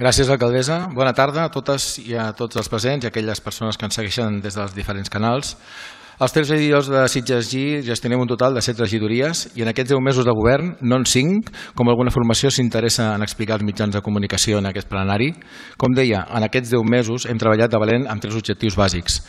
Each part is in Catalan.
Gràcies, alcaldessa. Bona tarda a totes i a tots els presents i a aquelles persones que ens segueixen des dels diferents canals. Els 3 regidors de Sitges gestionem un total de 7 regidories i en aquests 10 mesos de govern, no en 5, com alguna formació s'interessa en explicar els mitjans de comunicació en aquest plenari. Com deia, en aquests 10 mesos hem treballat de valent amb 3 objectius bàsics.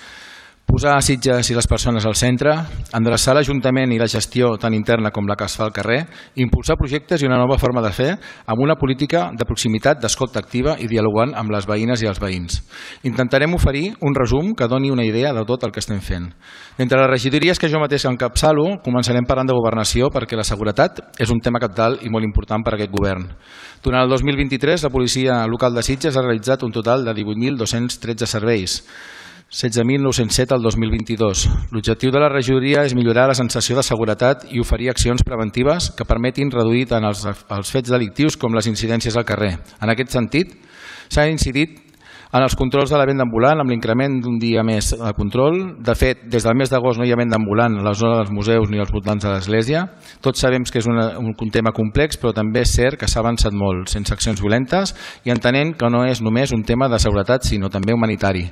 Posar a Sitges i les persones al centre, endreçar l'Ajuntament i la gestió tan interna com la que es fa al carrer, impulsar projectes i una nova forma de fer amb una política de proximitat, d'escolta activa i dialogant amb les veïnes i els veïns. Intentarem oferir un resum que doni una idea de tot el que estem fent. D'entre les regidories que jo mateix encapçalo, començarem parlant de governació perquè la seguretat és un tema cabdal i molt important per a aquest govern. Durant el 2023, la policia local de Sitges ha realitzat un total de 18.213 serveis, 16.907 al 2022. L'objectiu de la regidoria és millorar la sensació de seguretat i oferir accions preventives que permetin reduir tant els fets delictius com les incidències al carrer. En aquest sentit, s'ha incidit en els controls de la venda ambulant amb l'increment d'un dia més de control. De fet, des del mes d'agost no hi ha venda ambulant a la zona dels museus ni als voltants de l'església. Tots sabem que és un tema complex, però també és cert que s'ha avançat molt, sense accions violentes i entenent que no és només un tema de seguretat, sinó també humanitari.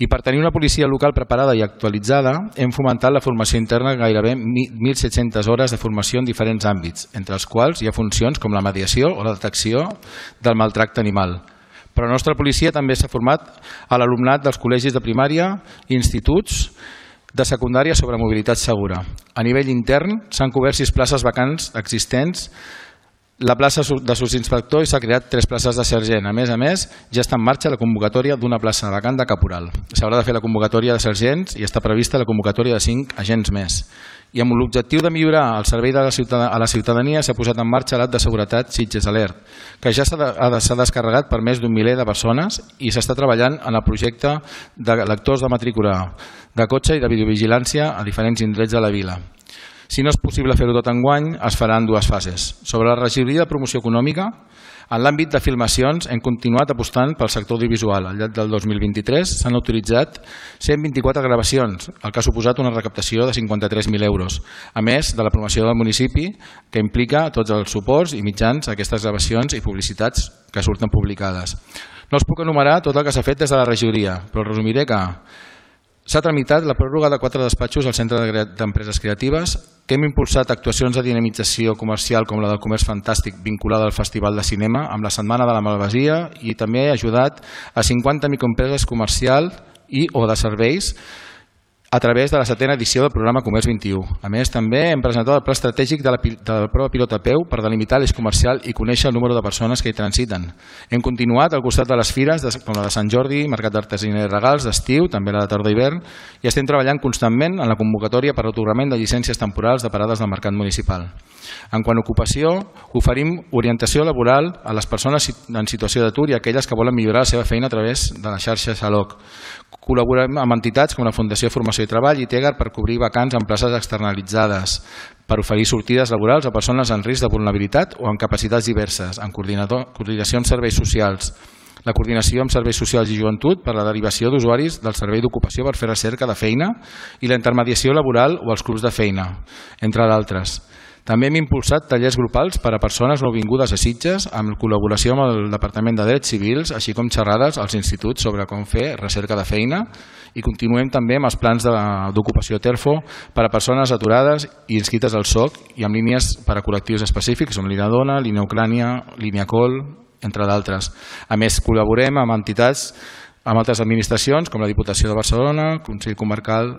I per tenir una policia local preparada i actualitzada, hem fomentat la formació interna gairebé 1.700 hores de formació en diferents àmbits, entre els quals hi ha funcions com la mediació o la detecció del maltracte animal. Però la nostra policia també s'ha format a l'alumnat dels col·legis de primària i instituts de secundària sobre mobilitat segura. A nivell intern s'han cobert 6 places vacants existents, la plaça de subinspector i s'ha creat 3 places de sergent. A més, ja està en marxa la convocatòria d'una plaça vacant de caporal. S'haurà de fer la convocatòria de sergents i està prevista la convocatòria de 5 agents més. I amb l'objectiu de millorar el servei a la ciutadania s'ha posat en marxa l'app de seguretat Sitges Alert, que ja s'ha descarregat per més d'un miler de persones i s'està treballant en el projecte de lectors de matrícula de cotxe i de videovigilància a diferents indrets de la vila. Si no és possible fer-ho tot enguany, es farà en 2 fases. Sobre la regidoria de promoció econòmica, en l'àmbit de filmacions hem continuat apostant pel sector audiovisual. Al llarg del 2023 s'han autoritzat 124 gravacions, el que ha suposat una recaptació de 53.000 euros, a més de la promoció del municipi, que implica tots els suports i mitjans a aquestes gravacions i publicitats que surten publicades. No els puc enumerar tot el que s'ha fet des de la regidoria, però resumiré que s'ha tramitat la pròrroga de 4 despatxos al Centre d'Empreses Creatives, que hem impulsat actuacions de dinamització comercial com la del Comerç Fantàstic vinculada al Festival de Cinema amb la Setmana de la Malvasia i també ha ajudat a 50 microempreses comercials i o de serveis a través de la 7ª edició del programa Comerç 21. A més, també hem presentat el pla estratègic de la prova pilot a peu per delimitar l'eix comercial i conèixer el número de persones que hi transiten. Hem continuat al costat de les fires com la de Sant Jordi, Mercat d'Artesania i Regals d'estiu, també la de tardor i hivern, i estem treballant constantment en la convocatòria per l'atorgament de llicències temporals de parades del mercat municipal. En quant a ocupació, oferim orientació laboral a les persones en situació d'atur i a aquelles que volen millorar la seva feina a través de la xarxa Xaloc. Col·laborem amb entitats com la Fundació Formació i Treball i Tegar per cobrir vacants en places externalitzades, per oferir sortides laborals a persones en risc de vulnerabilitat o amb capacitats diverses, en coordinació amb serveis socials, la coordinació amb serveis socials i joventut per la derivació d'usuaris del servei d'ocupació per fer recerca de feina i la intermediació laboral o els clubs de feina, entre d'altres. També hem impulsat tallers grupals per a persones nouvingudes a Sitges amb col·laboració amb el Departament de Drets Civils, així com xerrades als instituts sobre com fer recerca de feina i continuem també amb els plans d'ocupació TERFO per a persones aturades i inscrites al SOC i amb línies per a col·lectius específics com Línia Dona, Línia Ucrània, Línia Col, entre d'altres. A més, col·laborem amb entitats, amb altres administracions com la Diputació de Barcelona, Consell Comarcal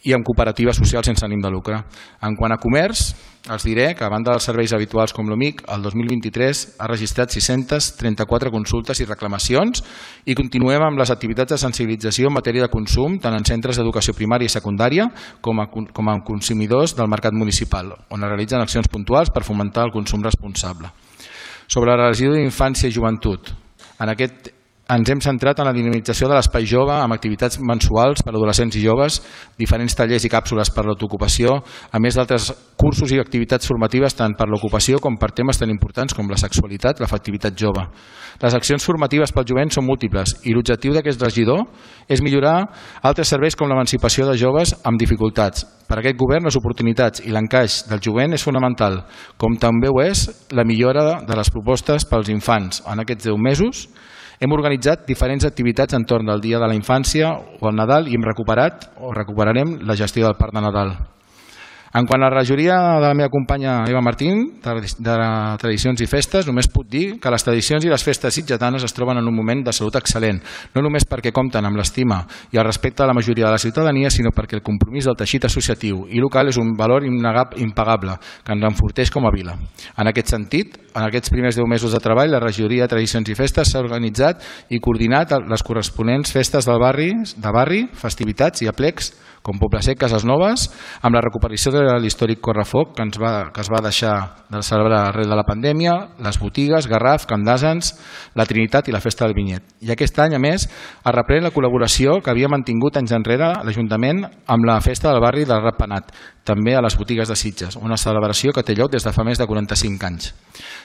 i amb cooperatives socials sense ànim de lucre. En quant a comerç, els diré que a banda dels serveis habituals com l'OMIC, el 2023 ha registrat 634 consultes i reclamacions i continuem amb les activitats de sensibilització en matèria de consum tant en centres d'educació primària i secundària com a consumidors del mercat municipal, on es realitzen accions puntuals per fomentar el consum responsable. Sobre la regió d'infància i joventut, en ens hem centrat en la dinamització de l'espai jove amb activitats mensuals per a adolescents i joves, diferents tallers i càpsules per a l'autoocupació, a més d'altres cursos i activitats formatives tant per l'ocupació com per temes tan importants com la sexualitat i l'afectivitat jove. Les accions formatives pel jovent són múltiples i l'objectiu d'aquest regidor és millorar altres serveis com l'emancipació de joves amb dificultats. Per a aquest govern, les oportunitats i l'encaix del jovent és fonamental, com també ho és la millora de les propostes pels infants. En aquests 10 mesos hem organitzat diferents activitats entorn del Dia de la Infància o el Nadal i hem recuperat o recuperarem la gestió del Parc de Nadal. En quant a la regidoria de la meva companya Eva Martín, de Tradicions i Festes, només puc dir que les tradicions i les festes sitgetanes es troben en un moment de salut excel·lent, no només perquè compten amb l'estima i el respecte de la majoria de la ciutadania, sinó perquè el compromís del teixit associatiu i local és un valor impagable que ens enforteix com a vila. En aquest sentit, en aquests primers 10 mesos de treball, la regidoria de Tradicions i Festes s'ha organitzat i coordinat les corresponents festes del barri, festivitats i aplecs com Poble Sec, Cases Noves, amb la recuperació de l'històric Correfoc que es va deixar de celebrar arrel de la pandèmia, les botigues, Garraf, Camp d'Asens, la Trinitat i la Festa del Vinyet. I aquest any, a més, es reprèn la col·laboració que havia mantingut anys enrere l'Ajuntament amb la Festa del Barri del Ratpenat, també a les botigues de Sitges, una celebració que té lloc des de fa més de 45 anys.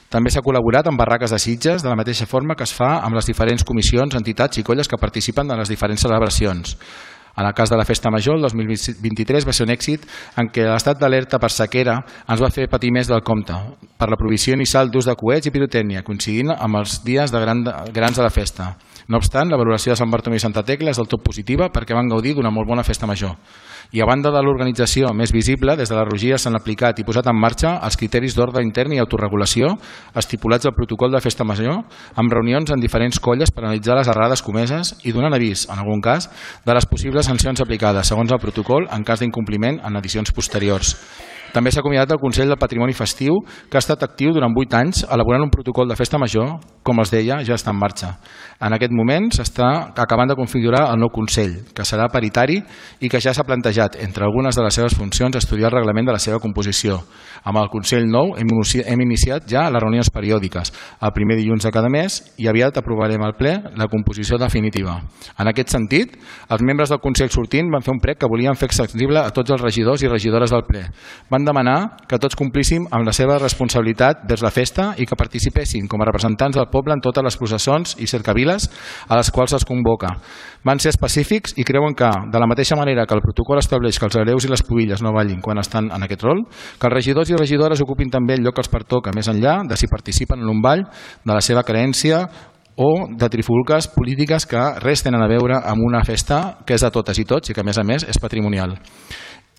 També s'ha col·laborat amb barraques de Sitges de la mateixa forma que es fa amb les diferents comissions, entitats i colles que participen en les diferents celebracions. En el cas de la Festa Major, el 2023 va ser un èxit en què l'estat d'alerta per sequera ens va fer patir més del compte per la prohibició inicial d'ús de coets i pirotècnia, coincidint amb els dies de grans de la festa. No obstant, la valoració de Sant Bartomeu i Santa Tecla és del tot positiva perquè van gaudir d'una molt bona Festa Major. I a banda de l'organització més visible, des de la Rogia s'han aplicat i posat en marxa els criteris d'ordre intern i autorregulació estipulats al protocol de Festa Major amb reunions en diferents colles per analitzar les errades comeses i donant avís, en algun cas, de les possibles sancions aplicades segons el protocol en cas d'incompliment en edicions posteriors. També s'ha acomiadat el Consell del Patrimoni Festiu, que ha estat actiu durant 8 anys elaborant un protocol de Festa Major, com els deia, ja està en marxa. En aquest moment s'està acabant de configurar el nou Consell, que serà paritari i que ja s'ha plantejat, entre algunes de les seves funcions, estudiar el reglament de la seva composició. Amb el Consell nou hem iniciat ja les reunions periòdiques, el primer dilluns de cada mes, i aviat aprovarem al ple la composició definitiva. En aquest sentit, els membres del Consell sortint van fer un prec que volien fer accessible a tots els regidors i regidores del ple. Van demanar que tots complíssim amb la seva responsabilitat vers la festa i que participessin com a representants del poble en totes les processons i cercaviles a les quals es convoca. Van ser específics i creuen que, de la mateixa manera que el protocol estableix que els hereus i les pubilles no ballin quan estan en aquest rol, que els regidors i regidores ocupin també el lloc que els pertoca, més enllà de si participen en un ball de la seva creença o de trifulques polítiques que res tenen a veure amb una festa que és de totes i tots i que, a més, és patrimonial.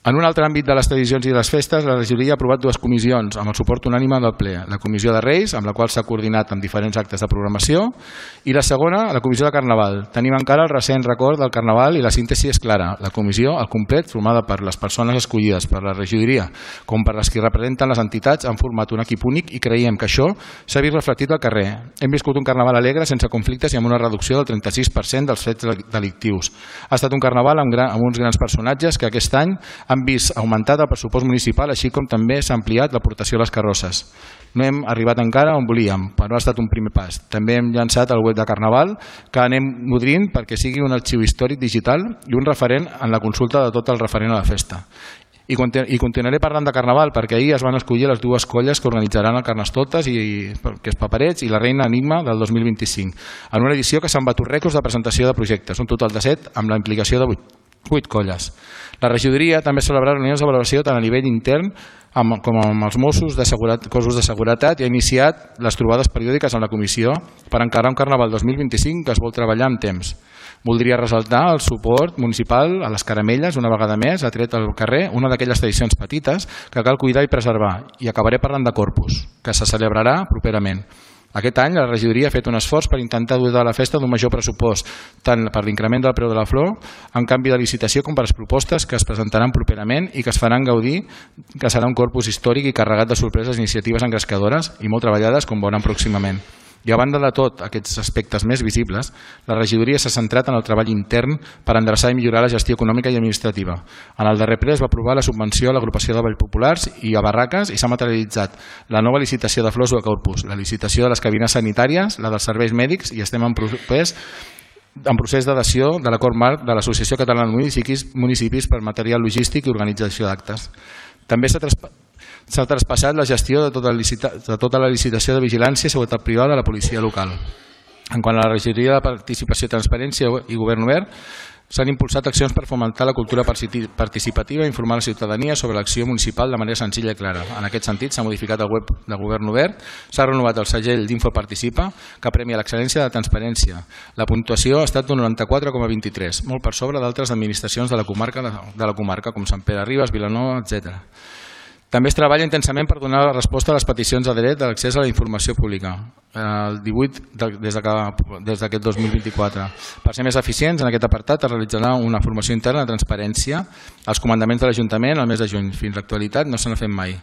En un altre àmbit de les tradicions i de les festes, la regidoria ha aprovat 2 comissions amb el suport unànime del ple. La Comissió de Reis, amb la qual s'ha coordinat amb diferents actes de programació, i la segona, la Comissió de Carnaval. Tenim encara el recent record del Carnaval i la síntesi és clara. La comissió, al complet, formada per les persones escollides per la regidoria com per les que representen les entitats, han format un equip únic i creiem que això s'ha vist reflectit al carrer. Hem viscut un Carnaval alegre, sense conflictes i amb una reducció del 36% dels fets delictius. Ha estat un Carnaval amb uns grans personatges que aquest any han vist augmentat el pressupost municipal, així com també s'ha ampliat l'aportació a les carrosses. No hem arribat encara on volíem, però ha estat un primer pas. També hem llançat el web de Carnaval, que anem nodrint perquè sigui un arxiu històric digital i un referent en la consulta de tot el referent a la festa. I continuaré parlant de Carnaval perquè ahir es van escollir les 2 colles que organitzaran el Carnestoltes, que és Paperets i la Reina Enigma del 2025, en una edició que s'han batut rècords de presentació de projectes, un total de 7 amb la implicació de 8 colles. La regidoria també celebrarà reunions de valoració tant a nivell intern com amb els Mossos, cossos de seguretat, i ha iniciat les trobades periòdiques amb la comissió per encarar un Carnaval 2025 que es vol treballar amb temps. Voldria ressaltar el suport municipal a les caramelles, una vegada més, ha tret al carrer una d'aquelles tradicions petites que cal cuidar i preservar, i acabaré parlant de Corpus, que se celebrarà properament. Aquest any la regidoria ha fet un esforç per intentar dur de la festa d'un major pressupost, tant per l'increment del preu de la flor, en canvi de licitació, com per les propostes que es presentaran properament i que es faran gaudir, que serà un corpus històric i carregat de sorpreses i iniciatives engrescadores i molt treballades, com veuran pròximament. I a banda de tot aquests aspectes més visibles, la regidoria s'ha centrat en el treball intern per endreçar i millorar la gestió econòmica i administrativa. En el darrer ple es va aprovar la subvenció a l'agrupació de Vallpopulars i a Barraques i s'ha materialitzat la nova licitació de flors o de corpus, la licitació de les cabines sanitàries, la dels serveis mèdics i estem en procés d'adhesió de l'acord marc de l'Associació Catalana de Municipis per material logístic i organització d'actes. També s'ha traspassat la gestió de tota la licitació de vigilància i seguretat privada a la policia local. En quant a la regidoria de participació, transparència i govern obert, s'han impulsat accions per fomentar la cultura participativa i informar la ciutadania sobre l'acció municipal de manera senzilla i clara. En aquest sentit, s'ha modificat el web de Govern Obert, s'ha renovat el segell d'Info Participa, que premia l'excel·lència de transparència. La puntuació ha estat d'un 94,23, molt per sobre d'altres administracions de la comarca, com Sant Pere de Ribes, Vilanova, etc. També es treballa intensament per donar resposta a les peticions de dret de l'accés a la informació pública, el 18 des d'aquest 2024. Per ser més eficients, en aquest apartat es realitzarà una formació interna de transparència als comandaments de l'Ajuntament al mes de juny. Fins a l'actualitat no se n'ha fet mai.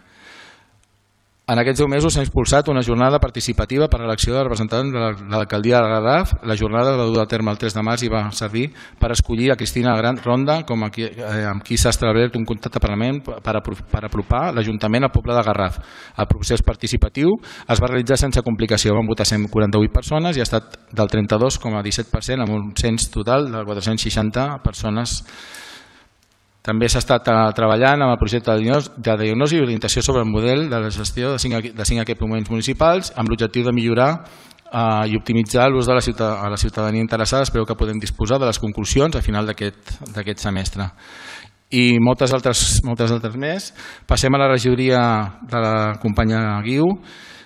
En aquests 10 mesos s'ha impulsat una jornada participativa per a l'elecció de representants de l'alcaldia de Garraf. La jornada va dur a terme el 3 de març i va servir per escollir a Cristina Gran Ronda amb qui s'ha establert un contacte permanent per apropar l'Ajuntament al poble de Garraf. El procés participatiu es va realitzar sense complicació. Van votar 148 persones i ha estat del 32,17% amb un cens total de 460 persones. També s'ha estat treballant amb el projecte de diagnosi i orientació sobre el model de la gestió de 5 equipaments municipals amb l'objectiu de millorar i optimitzar l'ús de la ciutadania interessada. Espero que podem disposar de les conclusions a final d'aquest semestre. I moltes altres més. Passem a la regidoria de la companya Guiu.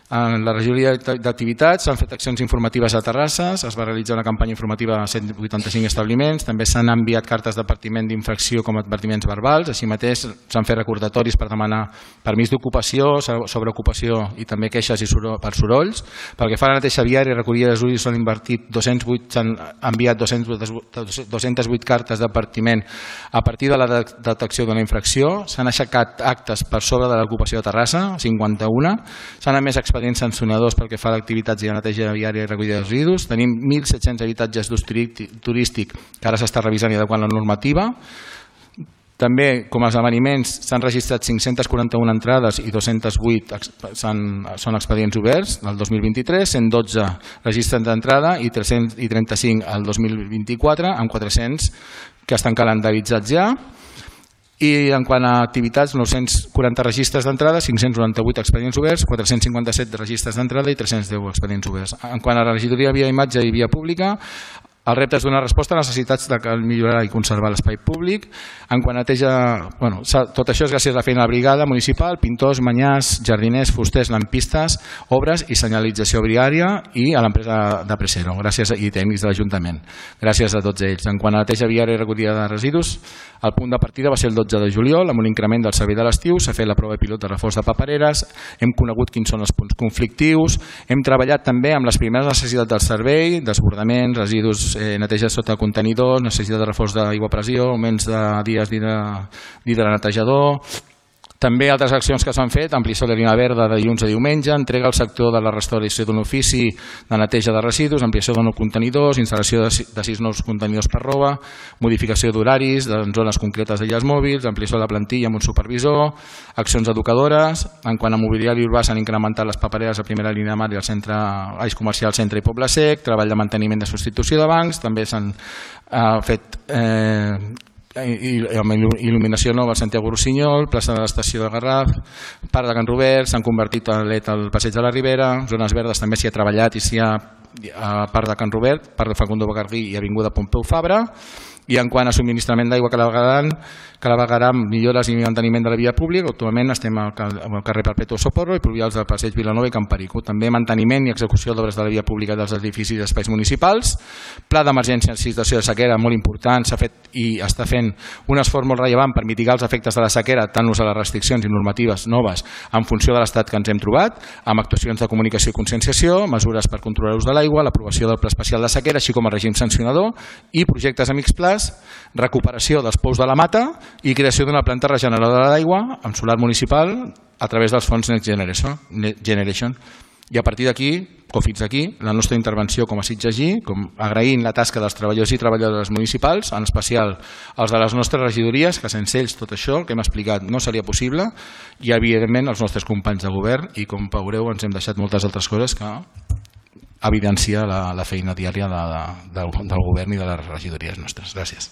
En la regidoria d'activitats s'han fet accions informatives a Terrassa, es va realitzar una campanya informativa a 185 establiments, també s'han enviat cartes d'advertiment d'infracció com a advertiments verbals, així mateix s'han fet recordatoris per demanar permís d'ocupació, sobreocupació i també queixes per sorolls. Pel que fa a la neteja viària i recollida de residus s'han enviat 208 cartes d'advertiment a partir de la detecció d'una infracció, s'han aixecat actes per sobre de l'ocupació de Terrassa, 51, s'han emès expedients sancionadors pel que fa a activitats i a neteja viària i recollida de residus. Tenim 1.700 habitatges d'ús turístic que ara s'està revisant i adequant la normativa. També, com a esdeveniments, s'han registrat 541 entrades i 208 són expedients oberts el 2023, 112 registres d'entrada i 335 el 2024, amb 400 que estan calendaritzats ja. I en quant a activitats, 940 registres d'entrada, 598 expedients oberts, 457 registres d'entrada i 310 expedients oberts. En quant a la regidoria via imatge i via pública, el repte és donar resposta a les necessitats de millorar i conservar l'espai públic. En quant a neteja, tot això és gràcies a la feina de la brigada municipal, pintors, manyars, jardiners, fusters, lampistes, obres i senyalització viària i a l'empresa de Presero i tècnics de l'Ajuntament. Gràcies a tots ells. En quant a neteja viària i recollida de residus, el punt de partida va ser el 12 de juliol amb un increment del servei de l'estiu, s'ha fet la prova pilot de reforç de papereres, hem conegut quins són els punts conflictius, hem treballat també amb les primeres necessitats del servei, desbordaments, residus, neteja sota contenidors, necessitat de reforç d'aigua a pressió, augments de dies d'hidranetejador. També altres accions que s'han fet, ampliació de línia verda de dilluns a diumenge, entrega al sector de la restauració d'un ofici de neteja de residus, ampliació de nous contenidors, instal·lació de 6 nous contenidors per roba, modificació d'horaris en zones concretes d'aïllats mòbils, ampliació de la plantilla amb un supervisor, accions educadores. En quant a mobiliari urbà s'han incrementat les papereres a primera línia de mar i al centre Eix Comercial Centre i Poble Sec, treball de manteniment de substitució de bancs, també s'han fet il·luminació nova al Santiago Rossinyol, plaça de l'estació de Garraf, parc de Can Robert, s'han convertit a LED al passeig de la Ribera, zones verdes també s'hi ha treballat i s'hi ha a parc de Can Robert, parc de Facundo Bacardí i avinguda Pompeu Fabra. I en quant a subministrament d'aigua Clavegueram, millores i manteniment de la via pública, actualment estem al carrer Perpetuo Socorro i pluvials del passeig Vilanova i Can Perico. També manteniment i execució d'obres de la via pública dels edificis i espais municipals. Pla d'emergència en situació de sequera molt important, s'ha fet i està fent un esforç molt rellevant per mitigar els efectes de la sequera, tant a les restriccions i normatives noves en funció de l'estat que ens hem trobat, amb actuacions de comunicació i conscienciació, mesures per controlar l'ús de l'aigua, l'aprovació del pla especial de sequera, així com el règim sancionador i projectes amics plans, recuperació dels pous de la Mata i creació d'una planta regeneradora d'aigua amb solar municipal a través dels fons Next Generation. I a partir d'aquí, o fins aquí, la nostra intervenció com a Sitges-G, agraint la tasca dels treballadors i treballadores municipals, en especial els de les nostres regidories, que sense ells tot això que hem explicat no seria possible, i evidentment els nostres companys de govern, i com veureu ens hem deixat moltes altres coses que evidencia la feina diària del govern i de les regidories nostres. Gràcies.